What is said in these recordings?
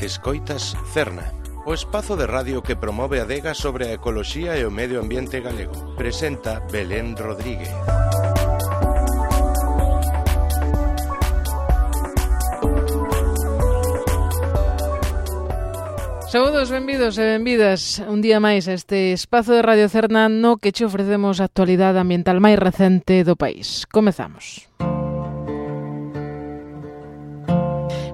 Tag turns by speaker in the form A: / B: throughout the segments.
A: Escoitas Cerna, o espazo de radio que promove a adega sobre a ecoloxía e o medio ambiente galego. Presenta Belén Rodríguez.
B: Saúdos, benvidos e benvidas un día máis a este espazo de Radio Cerna no que che ofrecemos a actualidade ambiental máis recente do país. Comezamos.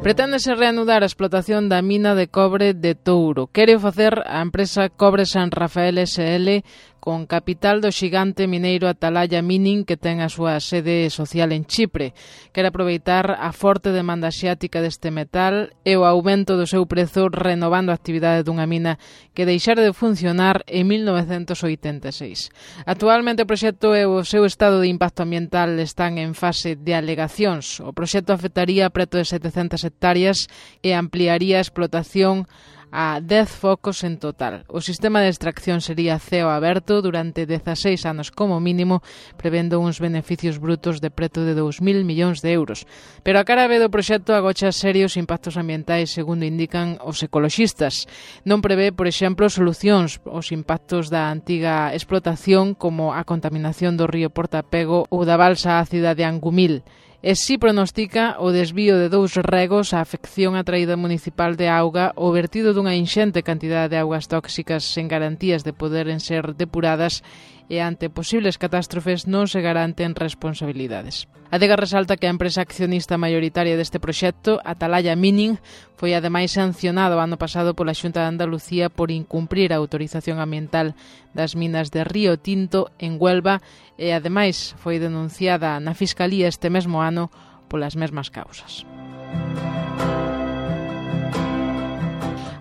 B: Preténdese reanudar a explotación da mina de cobre de Touro. Quere facer a empresa Cobre San Rafael S.L. con capital do xigante mineiro Atalaya Mining, que ten a súa sede social en Chipre. Quere aproveitar a forte demanda asiática deste metal e o aumento do seu prezo, renovando a actividade dunha mina que deixara de funcionar en 1986. Actualmente o proxecto e o seu estado de impacto ambiental están en fase de alegacións. O proxecto afectaría preto de 700 hectáreas e ampliaría a explotación a 10 focos en total. O sistema de extracción sería ceo aberto durante 16 anos como mínimo, prevendo uns beneficios brutos de preto de 2.000 millóns de euros. Pero a cara B do proxecto agocha serios impactos ambientais, segundo indican os ecoloxistas. Non prevé, por exemplo, solucións aos impactos da antiga explotación, como a contaminación do río Portapego ou da balsa ácida de Angumil. E si pronostica o desvío de 2 regos, a afección á traída municipal de auga, o vertido dunha inxente cantidade de augas tóxicas sen garantías de poderen ser depuradas, e ante posibles catástrofes non se garanten responsabilidades. A adega resalta que a empresa accionista maioritaria deste proxecto, Atalaya Mining, foi ademais sancionado o ano pasado pola Xunta de Andalucía por incumprir a autorización ambiental das minas de Río Tinto en Huelva e ademais foi denunciada na Fiscalía este mesmo ano polas mesmas causas.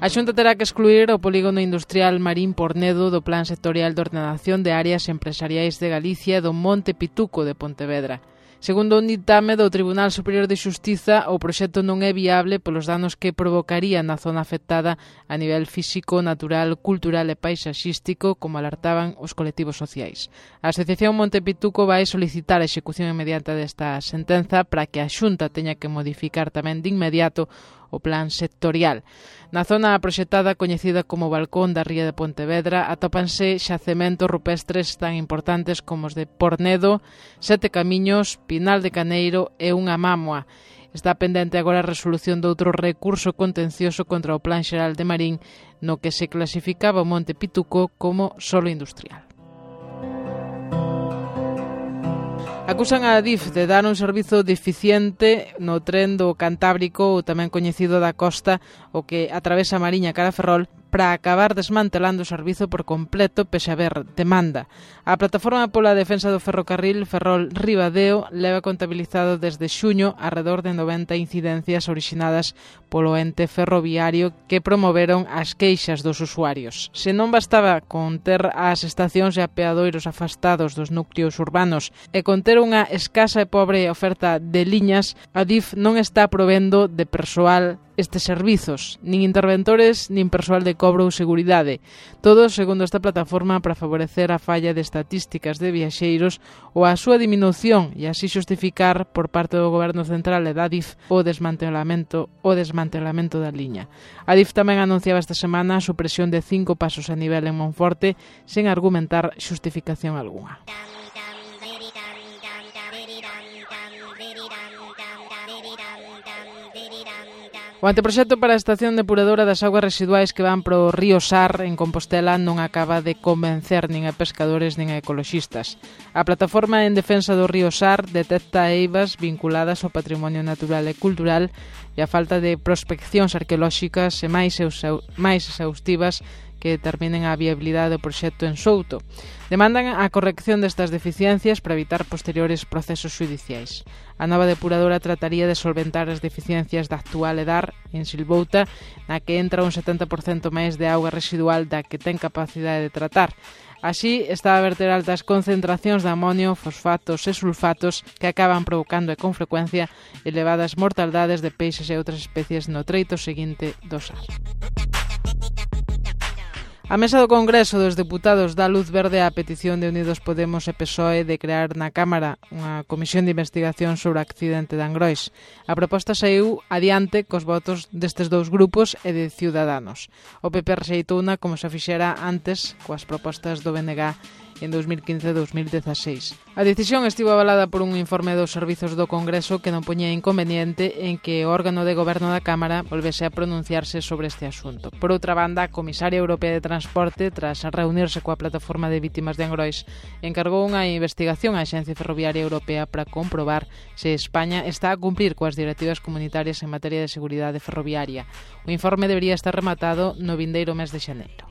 B: A Xunta terá que excluir o polígono industrial Marín Pornedo do Plan Sectorial de Ordenación de Áreas Empresariais de Galicia do Monte Pituco de Pontevedra. Segundo un ditame do Tribunal Superior de Xustiza, o proxecto non é viable polos danos que provocaría na zona afectada a nivel físico, natural, cultural e paisaxístico, como alertaban os colectivos sociais. A Asociación Monte Pituco vai solicitar a execución inmediata desta sentenza para que a Xunta teña que modificar tamén de inmediato o plan sectorial. Na zona proxectada, coñecida como Balcón da Ría de Pontevedra, atópanse xacementos rupestres tan importantes como os de Pornedo, Sete Camiños, Pinal de Caneiro e unha mámoa. Está pendente agora a resolución de outro recurso contencioso contra o Plan Xeral de Marín, no que se clasificaba o Monte Pituco como solo industrial. Acusan a Adif de dar un servizo deficiente no tren do Cantábrico, ou tamén coñecido da costa, o que atravesa a Mariña cara a Ferrol, para acabar desmantelando o servizo por completo pese a haber demanda. A Plataforma pola Defensa do Ferrocarril Ferrol-Ribadeo leva contabilizado desde xuño arredor de 90 incidencias orixinadas polo ente ferroviario que promoveron as queixas dos usuarios. Se non bastaba con ter as estacións e apeadoiros afastados dos núcleos urbanos e con ter unha escasa e pobre oferta de liñas, a DIF non está provendo de persoal estes servizos, nin interventores, nin persoal de cobro ou seguridade. Todo, segundo esta plataforma, para favorecer a falla de estatísticas de viaxeiros ou a súa diminución e así xustificar por parte do Goberno Central e da DIF o desmantelamento da liña. A DIF tamén anunciaba esta semana a supresión de 5 pasos a nivel en Monforte sen argumentar xustificación algunha. O anteproxecto para a estación depuradora das augas residuais que van para o río Sar, en Compostela, non acaba de convencer nin a pescadores nin a ecoloxistas. A plataforma en defensa do río Sar detecta eivas vinculadas ao patrimonio natural e cultural e a falta de prospeccións arqueolóxicas e máis exhaustivas que determinen a viabilidade do proxecto en Souto. Demandan a corrección destas deficiencias para evitar posteriores procesos xudiciais. A nova depuradora trataría de solventar as deficiencias da actual EDAR en Silvouta, na que entra un 70% máis de auga residual da que ten capacidade de tratar. Así, está a verter altas concentracións de amonio, fosfatos e sulfatos que acaban provocando con frecuencia elevadas mortaldades de peixes e outras especies no treito seguinte do Sar. A mesa do Congreso dos Deputados dá luz verde á petición de Unidos Podemos e PSOE de crear na Cámara unha comisión de investigación sobre o accidente de Angrois. A proposta saiu adiante cos votos destes dous grupos e de Ciudadanos. O PP rexeitouna como se fixera antes coas propostas do BNG en 2015 e 2016. A decisión estivo avalada por un informe dos servizos do Congreso que non poñía inconveniente en que o órgano de goberno da Cámara volvese a pronunciarse sobre este asunto. Por outra banda, a Comisaria Europea de Transporte, tras reunirse coa Plataforma de Vítimas de Angrois, encargou unha investigación á Axencia Ferroviaria Europea para comprobar se España está a cumprir coas directivas comunitarias en materia de seguridade ferroviaria. O informe debería estar rematado no vindeiro mes de xaneiro.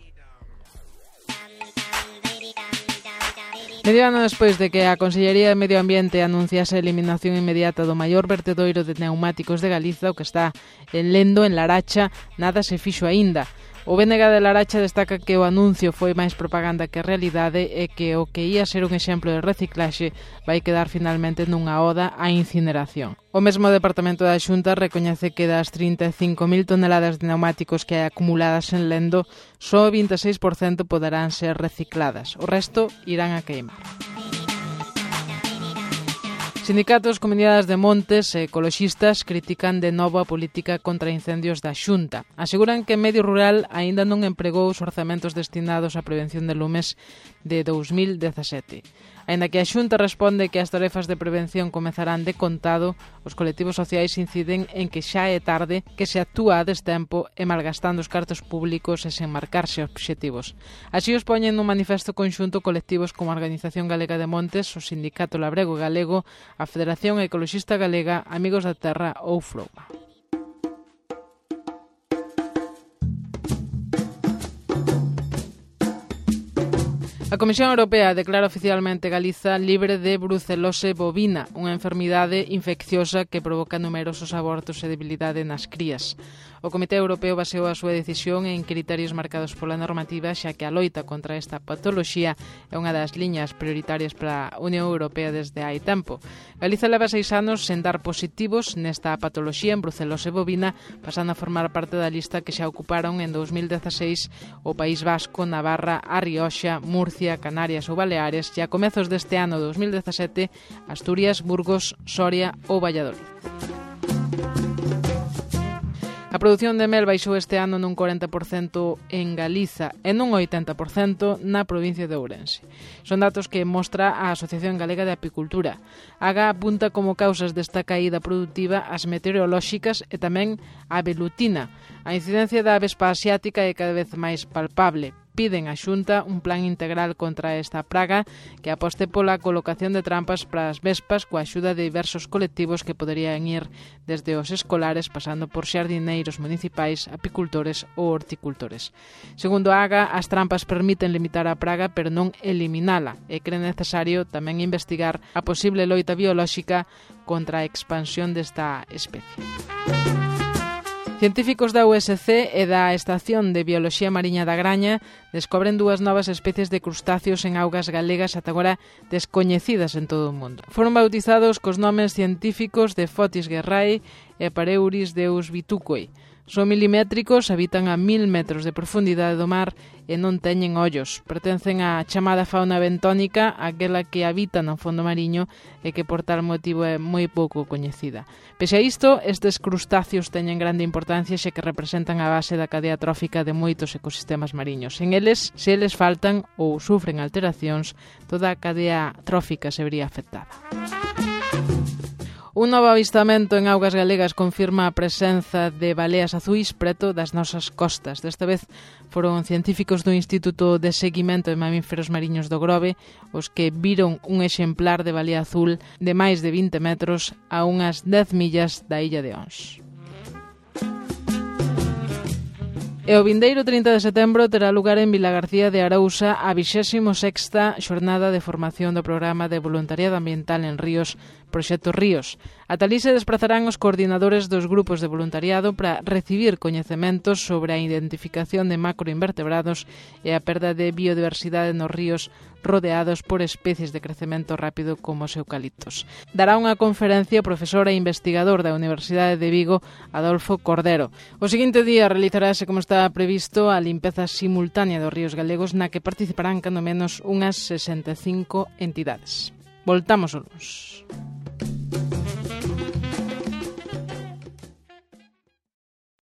B: Medio ano despois de que a Consellería de Medio Ambiente anunciase a eliminación inmediata do maior vertedoiro de pneumáticos de Galiza, o que está en Lendo, en Laracha, nada se fixo aínda. O BNG de Laracha destaca que o anuncio foi máis propaganda que realidade e que o que ia ser un exemplo de reciclaxe vai quedar finalmente nunha oda á incineración. O mesmo Departamento da Xunta recoñece que das 35.000 toneladas de pneumáticos que hai acumuladas en Lendo, só o 26% poderán ser recicladas. O resto irán a queimar. Sindicatos, comunidades de montes e ecoloxistas critican de novo a política contra incendios da Xunta. Aseguran que Medio Rural aínda non empregou os orzamentos destinados á prevención de lumes de 2017. Aínda que a Xunta responde que as tarefas de prevención comezarán de contado, os colectivos sociais inciden en que xa é tarde, que se actúa a destempo e malgastando os cartos públicos e sen marcarse obxectivos. Así os poñen nun manifesto conxunto colectivos como a Organización Galega de Montes, o Sindicato Labrego Galego, a Federación Ecologista Galega, Amigos da Terra ou Frouma. A Comisión Europea declara oficialmente Galiza libre de brucelose bovina, unha enfermidade infecciosa que provoca numerosos abortos e debilidade nas crías. O Comité Europeo baseou a súa decisión en criterios marcados pola normativa, xa que a loita contra esta patoloxía é unha das liñas prioritarias para a Unión Europea desde hai tempo. Galiza leva 6 anos sen dar positivos nesta patoloxía en brucelose bovina, pasando a formar parte da lista que xa ocuparon en 2016 o País Vasco, Navarra, A Rioxa, Murcia, Canarias ou Baleares e a comezos deste ano 2017 Asturias, Burgos, Soria ou Valladolid. A produción de mel baixou este ano nun 40% en Galiza e nun 80% na provincia de Ourense. Son datos que mostra a Asociación Galega de Apicultura. AGA apunta como causas desta caída produtiva as meteorolóxicas e tamén a velutina. A incidencia da avespa asiática é cada vez máis palpable. Piden á Xunta un plan integral contra esta praga que aposte pola colocación de trampas para as vespas coa axuda de diversos colectivos que poderían ir desde os escolares pasando por xardineiros municipais, apicultores ou horticultores. Segundo a AGA, as trampas permiten limitar a praga pero non eliminala e cree necesario tamén investigar a posible loita biolóxica contra a expansión desta especie. Científicos da USC e da Estación de Bioloxía Mariña da Graña descobren 2 novas especies de crustáceos en augas galegas ata agora descoñecidas en todo o mundo. Foron bautizados cos nomes científicos de Fotis guerrae e Pareuris deus vitucoi. Son milimétricos, habitan a 1000 metros de profundidade do mar e non teñen ollos. Pertencen á chamada fauna bentónica, aquela que habita no fondo mariño e que por tal motivo é moi pouco coñecida. Pese a isto, estes crustáceos teñen grande importancia xa que representan a base da cadea trófica de moitos ecosistemas mariños. En eles, se eles faltan ou sufren alteracións, toda a cadea trófica se vería afectada. Un novo avistamento en augas galegas confirma a presenza de baleas azuis preto das nosas costas. Desta vez foron científicos do Instituto de Seguimento de Mamíferos Mariños do Grove os que viron un exemplar de balea azul de máis de 20 metros a unhas 10 millas da illa de Ons. E o vindeiro 30 de setembro terá lugar en Vilagarcía de Arousa a 26ª xornada de formación do programa de voluntariado ambiental en ríos Proxecto Ríos. Ata alí se desplazarán os coordinadores dos grupos de voluntariado para recibir coñecementos sobre a identificación de macroinvertebrados e a perda de biodiversidade nos ríos rodeados por especies de crecemento rápido como os eucaliptos. Dará unha conferencia o profesor e investigador da Universidade de Vigo, Adolfo Cordero. O seguinte día realizarase, como está previsto, a limpeza simultánea dos ríos galegos na que participarán cando menos unhas 65 entidades. Voltamos ao luns.